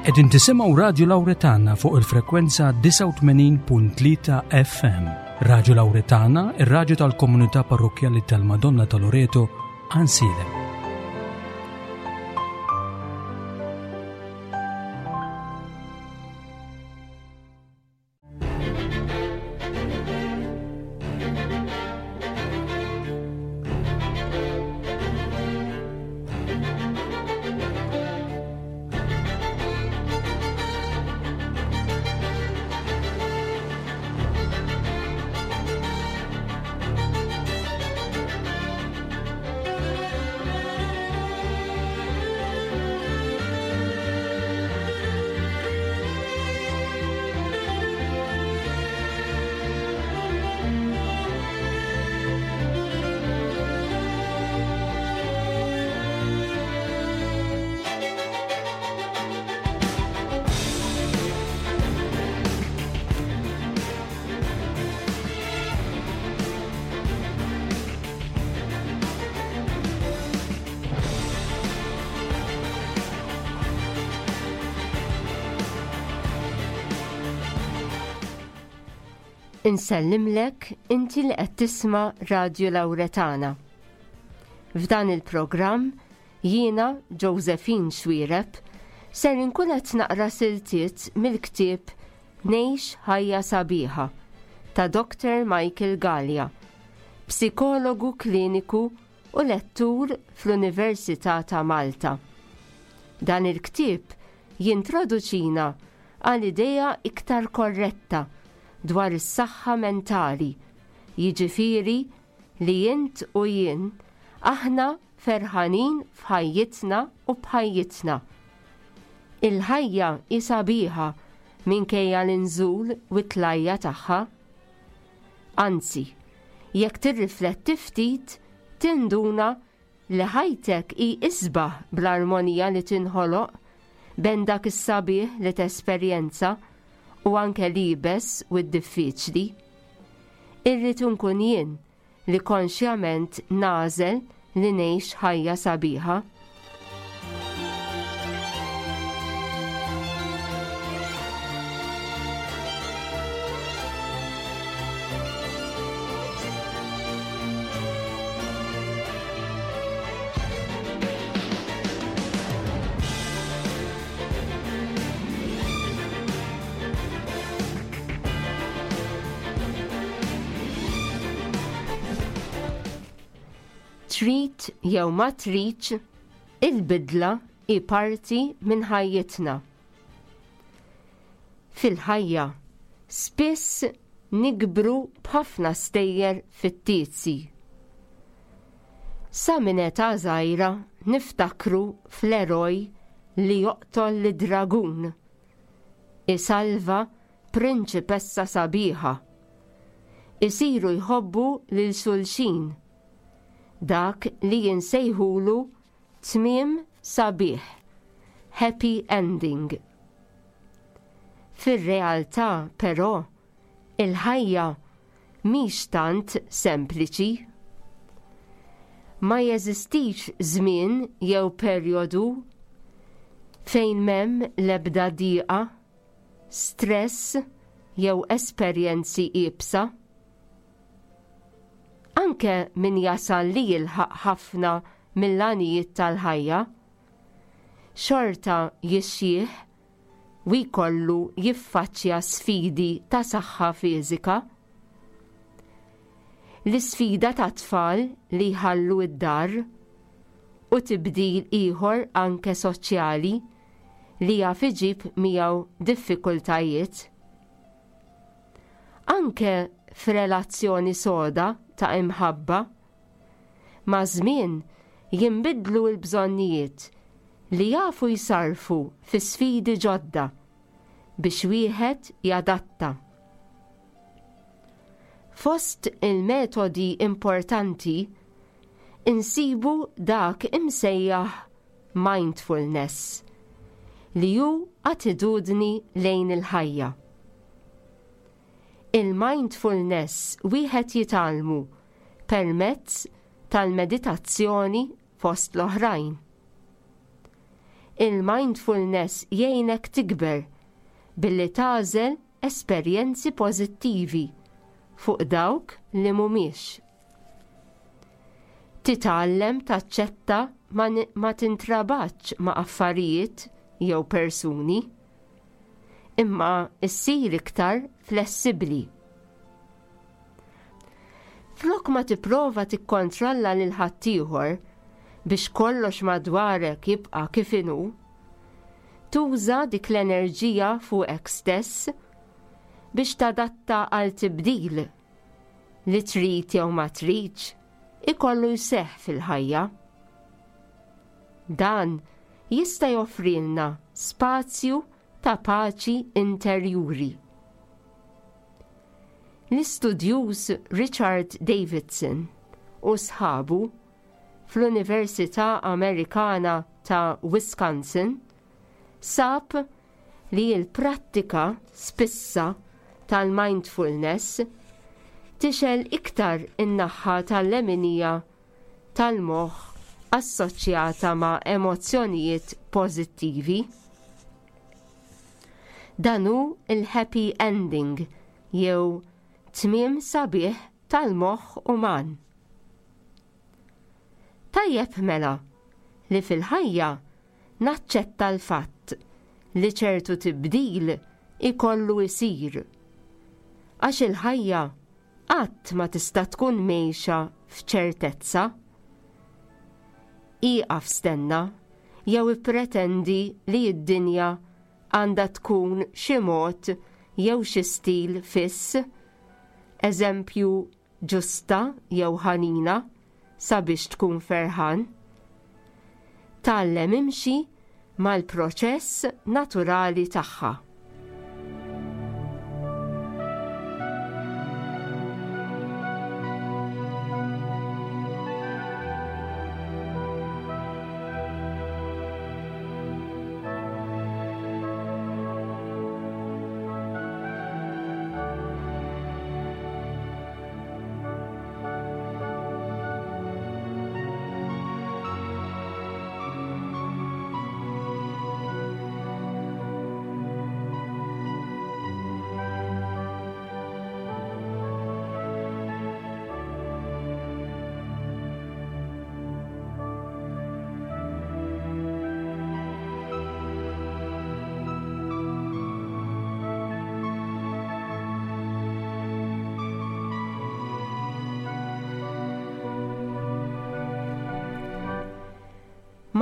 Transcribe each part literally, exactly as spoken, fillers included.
Qegħdin tisimgħu Radju Lawretana fuq il-frekwenza disgħa u tmenin punt tlieta F M. Radju Lawretana, ir-radju tal-Komunità Parrokkjali tal-Madonna ta' Loreto, Għajnsielem. Insellimlek inti li qed tisma' Radju Lawretana. F'dan il-programm jiena, Josephine Xuereb, ser inkun qed naqra siltiet mill-ktieb Ngħix Ħajja Sabiħa ta' Doktor Michael Galea, psikologu kliniku u lettur fl-Università ta' Malta. Dan il-ktieb jintroduċina għal idea iktar korretta dwar is-saħħa mentali, jiġifieri li int u jien aħna ferħanin f'ħajjitna u b'ħajjitna. Il-ħajja hi sabiħa minkejja l-inżul u t-tlajja' tagħha. Anzi, jekk tirrifletti ftit, tinduna li ħajtek hi isbaħ bl-armonija li tinħoloq bejn dak is-sabiħ li tesperjenza u anke l-iebes u d-diffiċli. Irrid nkun jien li konxjament nagħżel li ngħix ħajja sabiħa. Trid jew ma tridx, il-bidla hi parti minn ħajjitna. Fil-ħajja, spiss nikbru b'ħafna stejjer fittizji. Sa minn età żgħira niftakru fl-eroj li joqtol lid-dragun, isalva prinċipessa sabiħa. Isiru jħobbu lil xulxin, dak li jinsejħulu tmiem sabiħ, happy ending. Fir-realtà, però, il-ħajja mhix tant sempliċi. Ma jeżistix żmien jew perjodu fejn m'hemm l-ebda diqa, stress jew esperjenzi iebsa. Anke min jasal li jilħaq ħafna mill-għanijiet tal-ħajja, xorta jixjieħ u jkollu jiffaċċja sfidi ta' saħħa fiżika. L-isfida ta' tfal li jħallu id-dar u tibdil ieħor anke soċjali li jaf iġib miegħu diffikultajiet. Anke f'relazzjoni soda ta' imħabba, maż-żmien jinbidlu l-bżonnijiet li jafu jsarfu fi sfidi ġodda biex wieħed jadatta. Fost il-metodi importanti insibu dak imsejjaħ mindfulness, li hu attitudni lejn il-ħajja. Il-mindfulness wieħed jitgħallmu permezz tal-meditazzjoni, fost l-oħrajn. Il-mindfulness jgħinek tikber billi tagħżel esperjenzi pożittivi fuq dawk li mhumiex. Titgħallem taċċetta ma, ma tintrabatx ma' affarijiet jew persuni, imma issir iktar flessibbli. Flok ma tipprova tikkontrolla lil ħaddieħor biex kollox madwarek jibqa' kif inhu, tuża dik l-enerġija fuqek stess biex tadatta għal tibdil li trid jew ma tridx ikollu jseħħ fil-ħajja. Dan jista' joffrilna spazju ta' paċi interjuri. L-istudjuż Richard Davidson u sħabu fl-Università Amerikana ta' Wisconsin sab li l-prattika spissa tal-mindfulness tixgħel iktar in-naħa tal-leminija tal-moħħ assoċjata ma' emozzjonijiet pożittivi. Dan hu il-happy ending jew tmiem sabiħ tal-moħħ uman. Tajjeb mela li fil-ħajja naċċetta l-fatt li ċertu tibdil ikollu jsir. Għax il-ħajja qatt ma tista' tkun mgħejxa f'ċertezza. Ieqaf stenna jew ippretendi li d-dinja għandha tkun xi mod jew xi stil fiss, eżempju ġusta jew ħanina sabiex tkun ferħan. Tgħallem imxi mal-proċess naturali tagħha.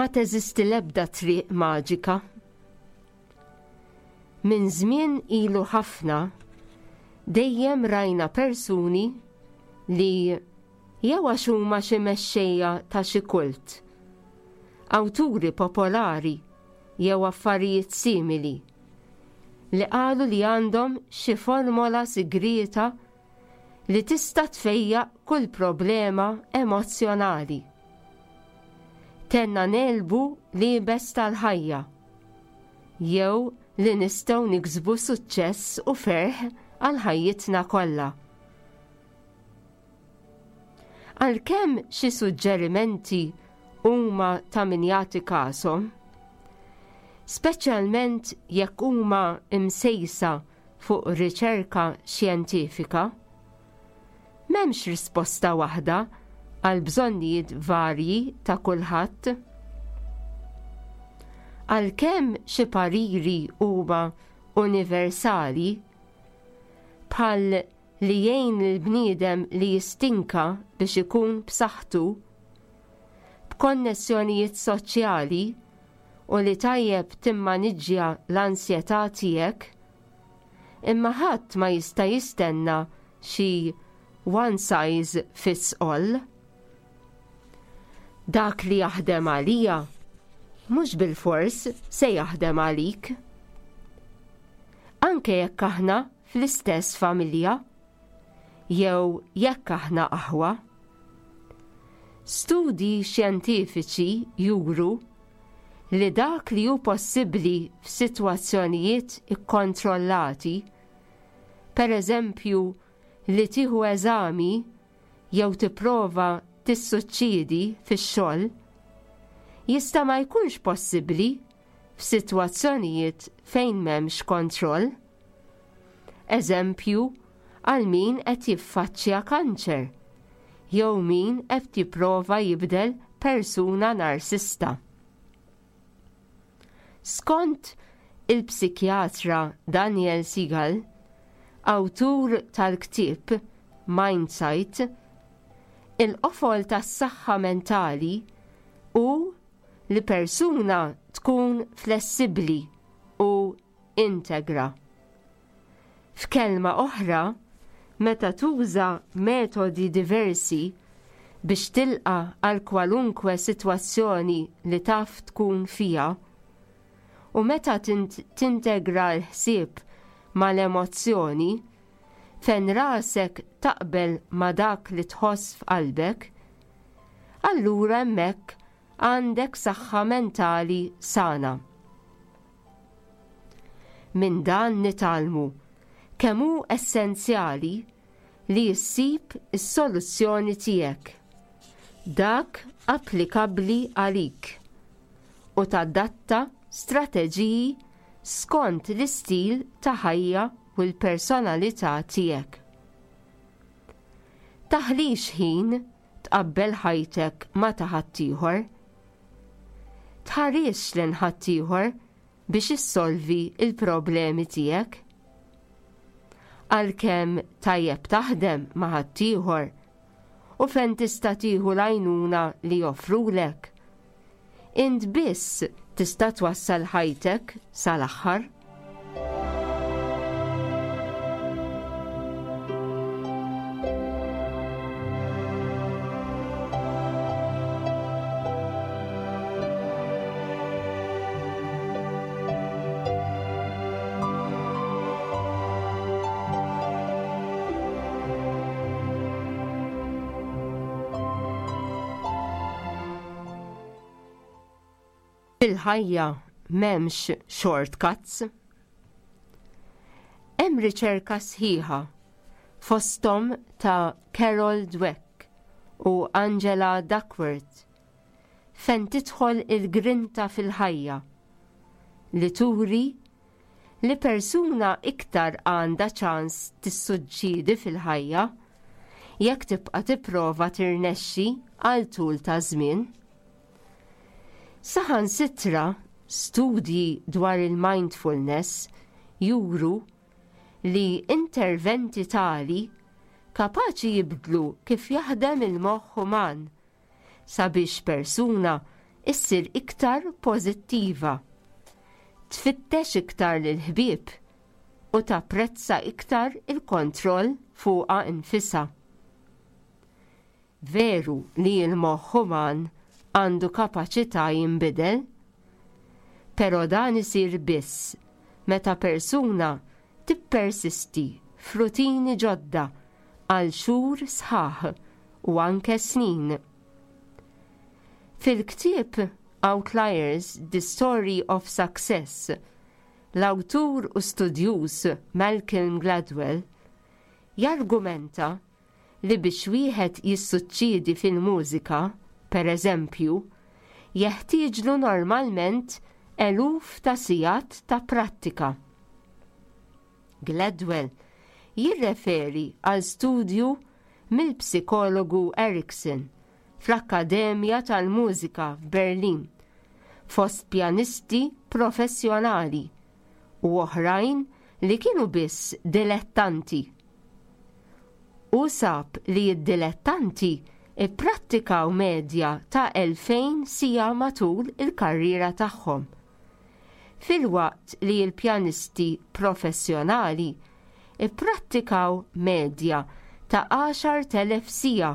Ma teżisti l-ebda triq maġika. Minn żmien ilu ħafna dejjem rajna persuni li jew għax huma xi mexxejja ta' xi kult, awturi popolari jew affarijiet simili li qalu li għandhom xi formola sigrieta li tista' tfejjaq kull problema emozzjonali. Tenna nelbu libes tal-ħajja, jew li nistgħu niksbu suċċess u ferħ għal ħajjitna kollha. Għalkemm xi suġġerimenti huma ta' min jagħti kashom, speċjalment jekk huma msejsa fuq riċerka xjentifika, m'hemmx risposta waħda għal bżonnijiet varji ta' kulħadd. Għalkemm xi pariri huma universali, bħal li jgħin il-bniedem li jistinka biex ikun b'saħħtu, b'konnessjonijiet soċjali u li tajjeb timmaniġġja l-ansjetà tiegħek, imma ħadd ma jista' jistenna xi one size fits all. Dak li jaħdem għalija mhux bilfors se jaħdem għalik. Anke jekk aħna fl-istess familja jew jekk aħna aħwa. Studji xjentifiċi juru li dak li hu possibbli f'sitwazzjonijiet ikkontrollati, per eżempju li tieħu eżami jew tipprova tissuċċiedi fix-xogħol, jista' ma jkunx possibbli f'sitwazzjonijiet fejn m'hemmx kontroll. Eżempju, għal min qed jiffaċċja kanċer jew min qed jipprova jibdel persuna narsista. Skont il-psikjatra Daniel Siegel, awtur tal-ktieb Mindsight, il-qofol tas-saħħa mentali hu li persuna tkun flessibbli u integra. F'kelma oħra, meta tuża metodi diversi biex tilqa' għal kwalunkwe sitwazzjoni li taf tkun fiha, u meta tintegra l-ħsieb mal-emozzjoni, fejn rasek taqbel ma' dak li tħoss f'qalbek, allura hemmhekk għandek saħħa mentali sana. Minn dan nitgħallmu kemm hu essenzjali li ssib is-soluzzjoni tiegħek, dak applikabbli għalik, u tadatta strateġiji skont l-istil ta' ħajja u l-personalità tiegħek. Taħlix ħin tqabbel ħajtek ma' ta' ħaddieħor. Tħarisx lejn ħaddieħor biex issolvi il-problemi tiegħek. Għalkemm tajjeb taħdem ma' ħaddieħor u fejn tista' tieħu l-għajnuna li joffrulek, int biss tista' twassal ħajtek sal-aħħar. Fil-ħajja m'hemmx shortcuts. Hemm riċerka sħiħa fosthom ta' Carol Dweck u Angela Duckworth fejn tidħol il-grinta fil-ħajja li turi li persuna iktar għandha ċans tissuċċedi fil-ħajja jekk tibqa' tipprova tirnexxi għal tul ta' żmien. Saħansitra studji dwar il-mindfulness juru li interventi tali kapaċi jibdlu kif jaħdem il-moħħ uman sabiex persuna issir iktar pożittiva, tfittex iktar lill-ħbieb u tapprezza iktar il-kontroll fuqha nfisha. Veru li l-moħħ uman għandu kapaċità jinbidel, però dan isir biss meta persuna tippersisti f'rutini ġodda għal xhur sħaħ u anke snin. Fil-ktieb Outliers: The Story of Success, l-awtur u studjuż Malcolm Gladwell jargumenta li biex wieħed jissuċċedi fil-mużika, per eżempju, jeħtieġlu normalment eluf ta' sigħat ta' prattika. Gladwell jirreferi għal studju mill-psikologu Erikson fl-Akkademja tal-Mużika f'Berlin fost pjanisti professjonali u oħrajn li kienu biss dilettanti. U sab li d-dilettanti ipprattikaw medja ta' elfejn siegħa matul il-karriera tagħhom, filwaqt li l-pjanisti professjonali ipprattikaw medja ta' għaxart elef siegħa,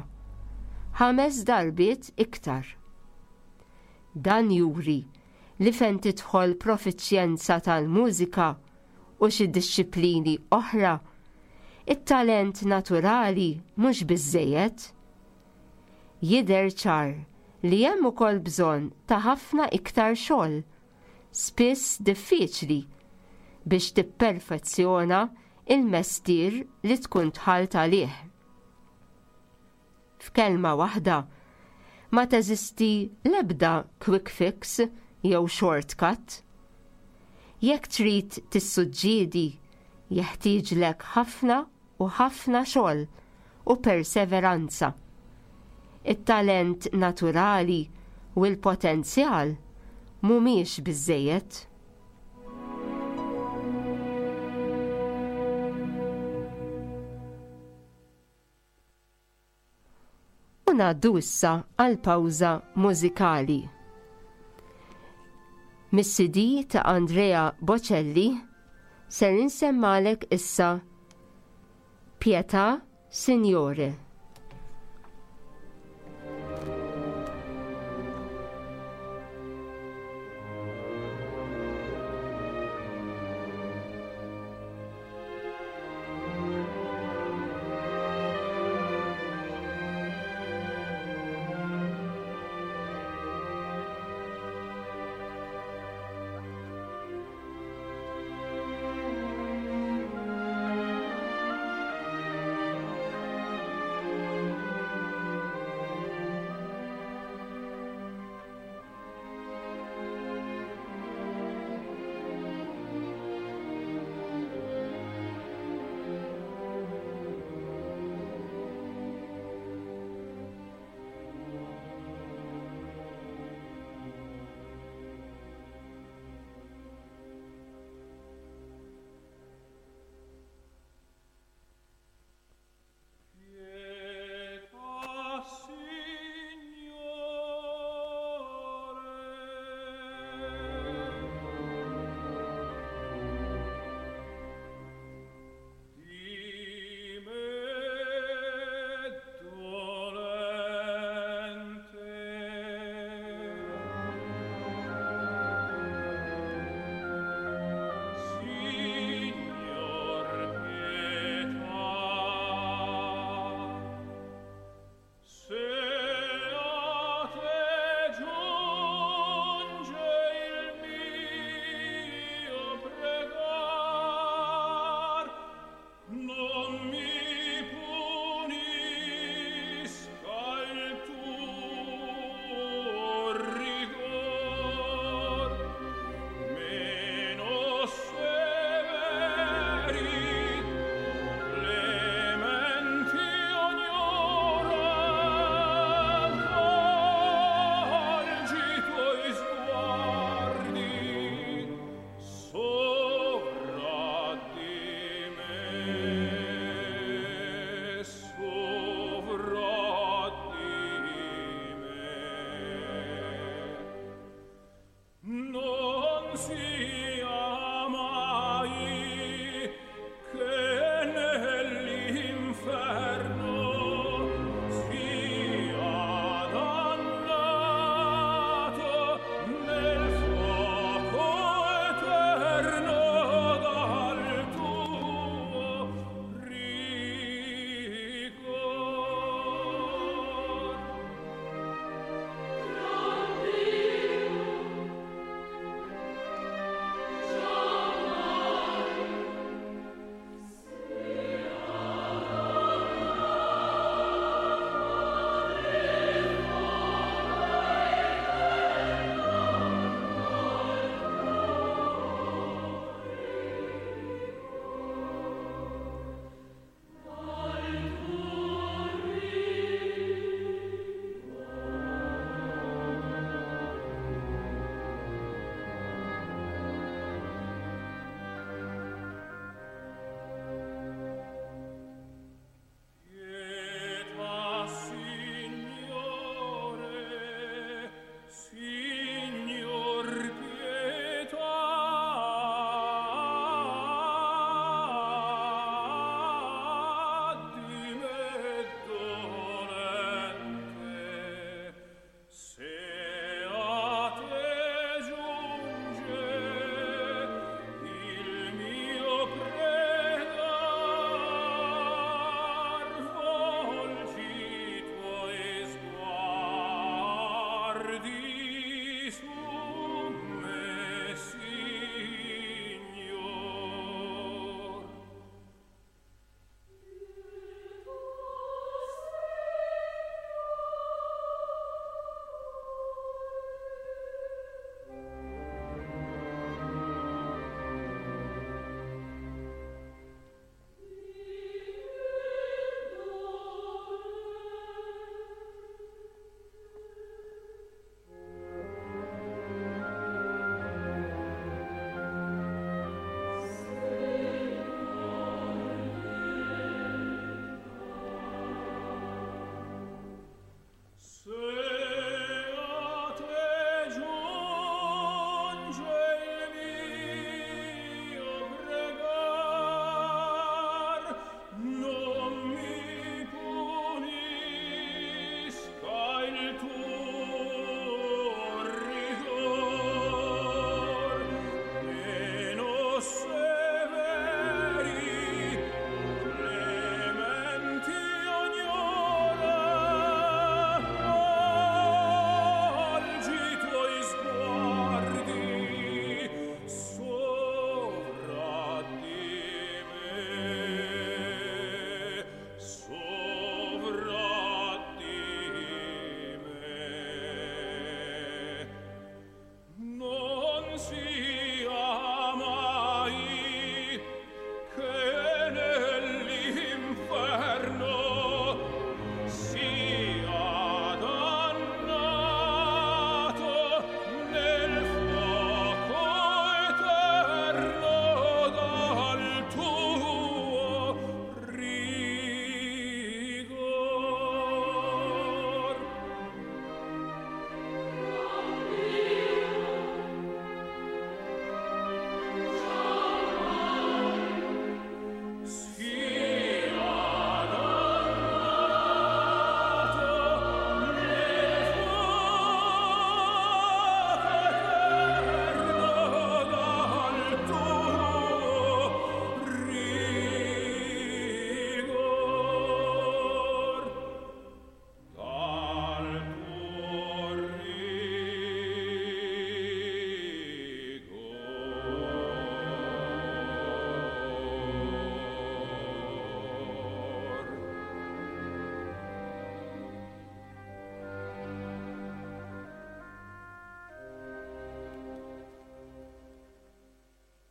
ħames darbiet iktar. Dan juri li fejn tidħol profiċjenza tal-mużika u xi dixxiplini oħra, it-talent naturali mhux biżżejjed. Jidher ċar li hemm ukoll bżonn ta' ħafna iktar xogħol, spiss diffiċli, biex tipperfezzjona il-mestier li tkun dħalt għalih. F'kelma waħda, ma teżisti l-ebda quick fix jew shortcut. Jekk trid tissuġġiedi, jeħtieġlek ħafna u ħafna xogħol u perseveranza. It-talent naturali u l-potenzjal mhumiex biżżejjed. U ngħaddu issa għal pawża mużikali. Mis-C D ta' Andrea Bocelli ser insemmalek issa Pietà Signore. Pietà, Signore, di me dolente. Signor, pietà. Se a te giunge il mio pregar, non mi punisca il tuo rigor, meno severi, clementi ognora, volgi i tuoi sguardi sovra di me, sovra di me. Non sia mai che nell'inferno sia dannato nel fuoco eterno dal tuo rigor.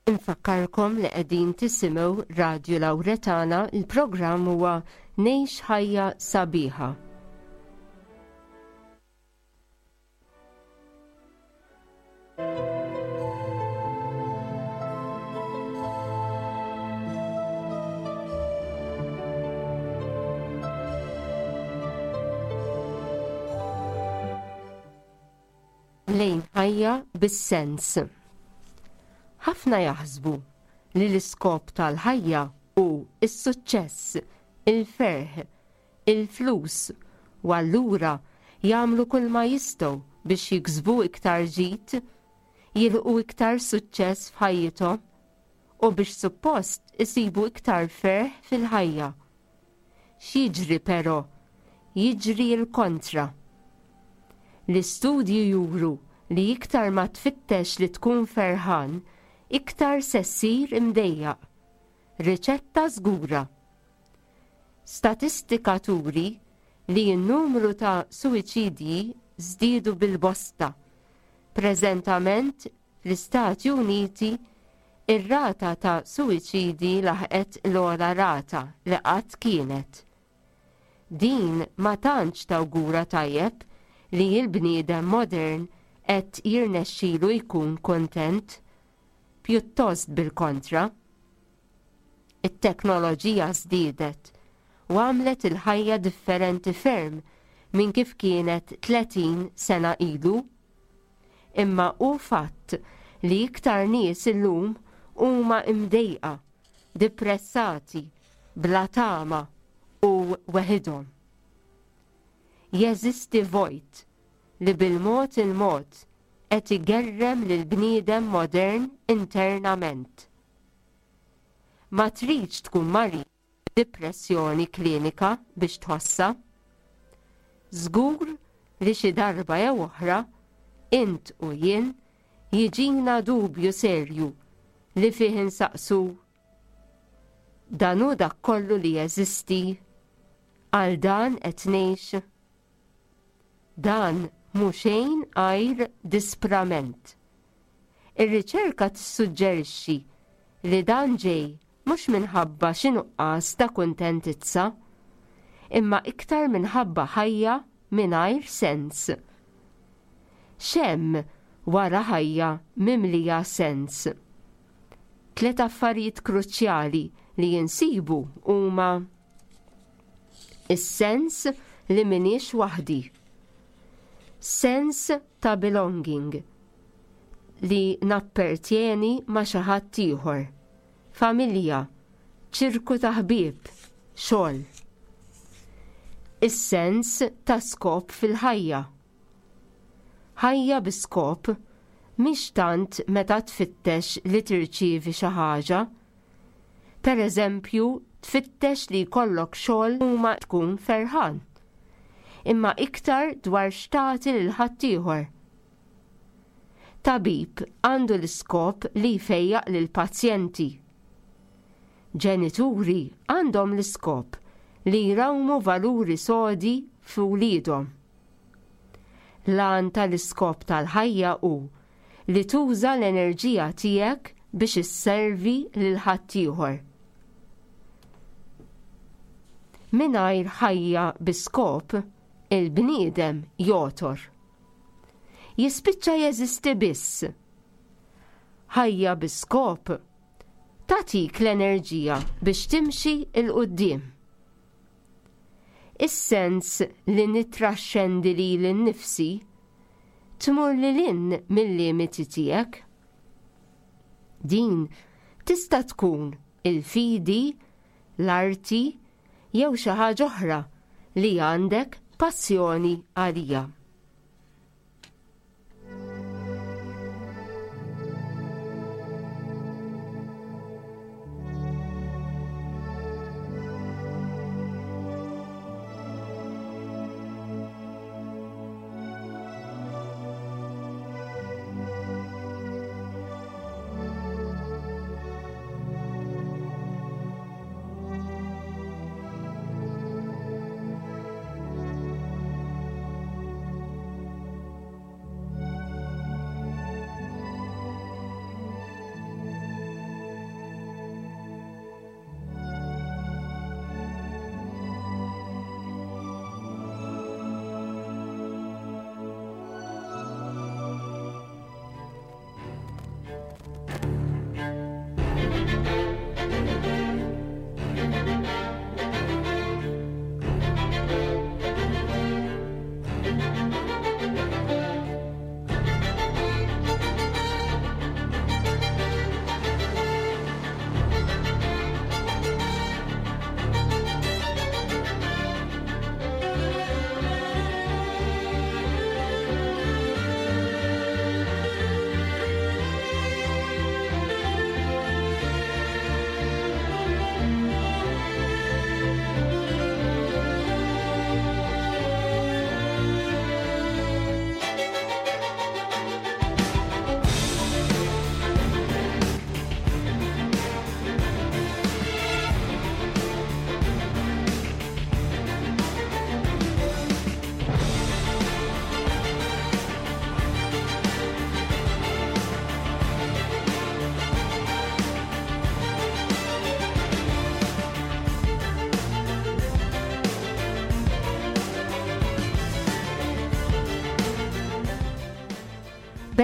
Infakkarkom li qegħdin tisimgħu Radju Lawretana, il-programm huwa Ngħix Ħajja Sabiħa. Lejn ħajja bis-sens. Ħafna jaħsbu li l-iskop tal-ħajja hu s-suċċess, il-ferħ, il-flus, u allura jagħmlu kull ma jistgħu biex jiksbu iktar ġid, jilqu iktar suċċess f'ħajjithom u biex suppost isibu iktar ferħ fil-ħajja. X'jiġri però? Jiġri l-kontra. L-istudji juru li iktar ma tfittex li tkun ferħan, iktar se ssir imdejjaq. Riċetta żgura. Statistika turi li n-numru ta' suwiċidji żdiedu bil-bosta. Preżentament fl-Istati Uniti ir-rata ta' suwiċidji laħqet l-ogħla rata li qatt kienet. Din ma tantx tawgura tajjeb li l-bniedem modern qed jirnexxilu jkun kuntent, pjuttost bil-kontra. It-teknoloġija żdiedet u għamlet il-ħajja differenti ferm minn kif kienet tletin sena ilu. Imma hu fatt li iktar nies illum huma imdejqa, depressati, bla tama u weħidhom. Jeżisti vojt li bil-mod il-mod qed igerrem lil bniedem modern internament. Ma tridx tkun marid depressjoni klinika biex tħossha. Żgur li xi darba jew oħra int u jien jiġina dubju serju li fih insaqsu dan hu dak kollu li jeżisti, għal dan qed ngħix. Dan mhu xejn għajr disprament. Ir-riċerka tissuġġerixxi li dan ġej mhux minħabba xi nuqqas ta' kuntentizza, imma iktar minħabba ħajja mingħajr sens. X'hemm wara ħajja mimlija sens? Tliet affarijiet kruċjali li jinsibu huma is-sens li m'iniex waħdi, sens ta' belonging, li nappertjeni ma' xi ħadd ieħor, familja, ċirku ta' ħbieb, xogħol. Is-sens ta' skop fil-ħajja. Ħajja bi skop mhix tant meta tfittex li tirċievi xi ħaġa. Per eżempju, tfittex li jkollok xogħol u ma tkun ferħan, imma iktar dwar x'tagħti lil ħaddieħor. Tabib għandu l-iskop li jfejjaq lil pazjenti. Ġenituri għandhom l-iskop li jrawmu valuri sodi f'wliedhom. L-għan tal-iskop tal-ħajja hu li tuża l-enerġija tiegħek biex isservi lil ħaddieħor. Mingħajr ħajja bi skop, il-bniedem jotor. Jispiċċa jeżisti biss. Ħajja bi skop tagħtik l-enerġija biex timxi 'l quddiem. Is-sens li nittraxxendi lili nnifsi tmur lil hinn mill-limiti tiegħek. Din tista' tkun il-fidi, l-arti jew xi ħaġa oħra li għandek passjoni għalija.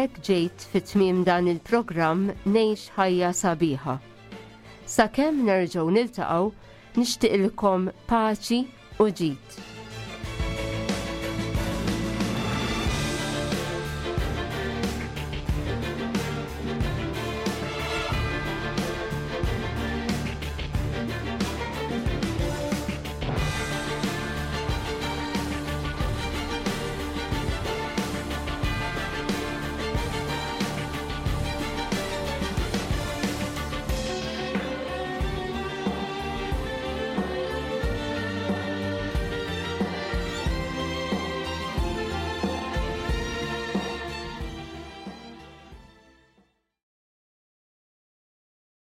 B'hekk ġejt fi tmiem dan il-programm Ngħix Ħajja Sabiħa. Sakemm nerġgħu niltaqgħu, nixtieqilkom paċi u ġid.